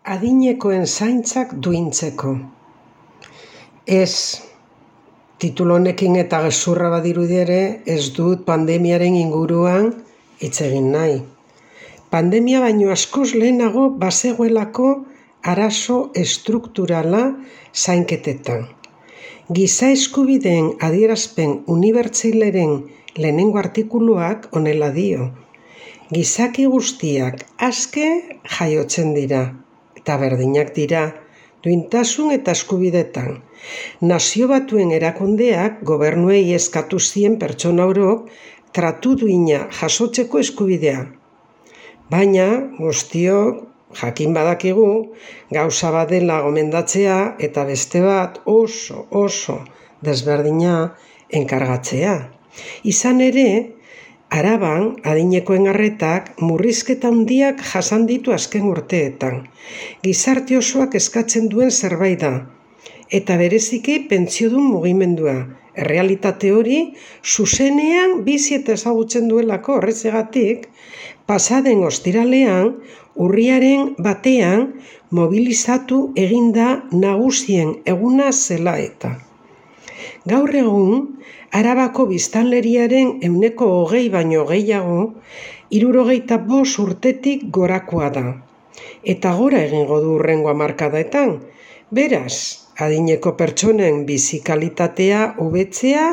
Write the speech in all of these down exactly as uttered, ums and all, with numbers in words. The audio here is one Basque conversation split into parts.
Adinekoen zaintzak duintzeko. Ez, titulu honekin eta gezurra badirudi ere, ez dut pandemiaren inguruan hitz egin nahi. Pandemia baino askoz lehenago bazegoelako arazo estrukturala zainketetan. Giza eskubideen adierazpen unibertsalaren lehenengo artikuluak honela dio. Gizaki guztiak aske jaiotzen dira, eta berdinak dira, duintasun eta eskubidetan. Nazio Batuen erakundeak gobernuei eskatu zien pertsona orok tratu duina jasotzeko eskubidea. Baina guztiok jakin badakigu gauza bat dela gomendatzea eta beste bat oso oso desberdina enkargatzea. Izan ere, Araban adinekoen arretak murrizketa handiak jasan ditu azken urteetan. Gizarte osoak eskatzen duen zerbait da, eta bereziki pentsiodun mugimendua. Errealitate hori zuzenean bizi eta ezagutzen duelako horrezegatik, pasaden ostiralean, urriaren batean mobilizatu eginda nagusien eguna zela eta. Gaur egun, Arabako biztanleriaren ehuneko hogei baino gehiago, hirurogeita bost urtetik gorakoa da. Eta gora egingo du hurrengo hamarkadaetan. Beraz, adineko pertsonen bizi kalitatea hobetzea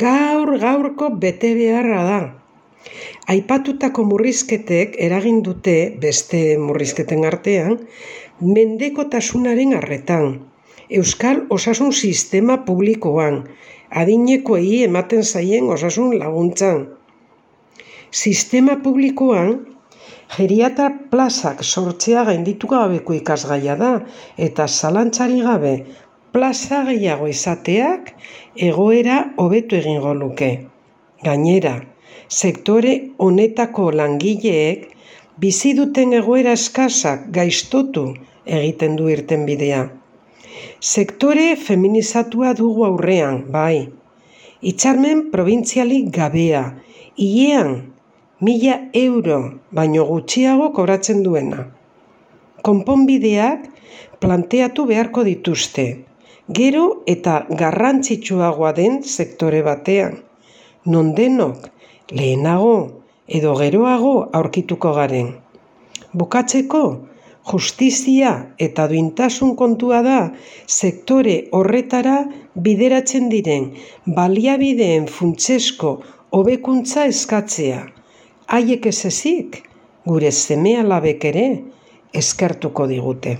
gaur gaurko betebeharra da. Aipatutako murrizketek eragin dute beste murrizketen artean, mendekotasunaren arretan, euskal osasun sistema publikoan, adinekoei ematen zaien osasun laguntzan. Sistema publikoan, geriatra plazak sortzea gainditu gabeko ikasgaia da, eta zalantzari gabe plaza gehiago izateak egoera hobetu egingo luke. Gainera, sektore honetako langileek bizi duten egoera eskasak gaiztotu egiten du irtenbidea. Sektore feminizatua dugu aurrean, bai. Hitzarmen probintzialik gabea, hilean mila euro baino gutxiago kobratzen duena. Konponbideak planteatu beharko dituzte, gero eta garrantzitsuagoa den sektore batean, non denok lehenago edo geroago aurkituko garen. Bukatzeko, justizia eta duintasun kontua da sektore horretara bideratzen diren baliabideen funtsezko hobekuntza eskatzea. Haiek ez ezik, gure seme-alabek ere eskertuko digute.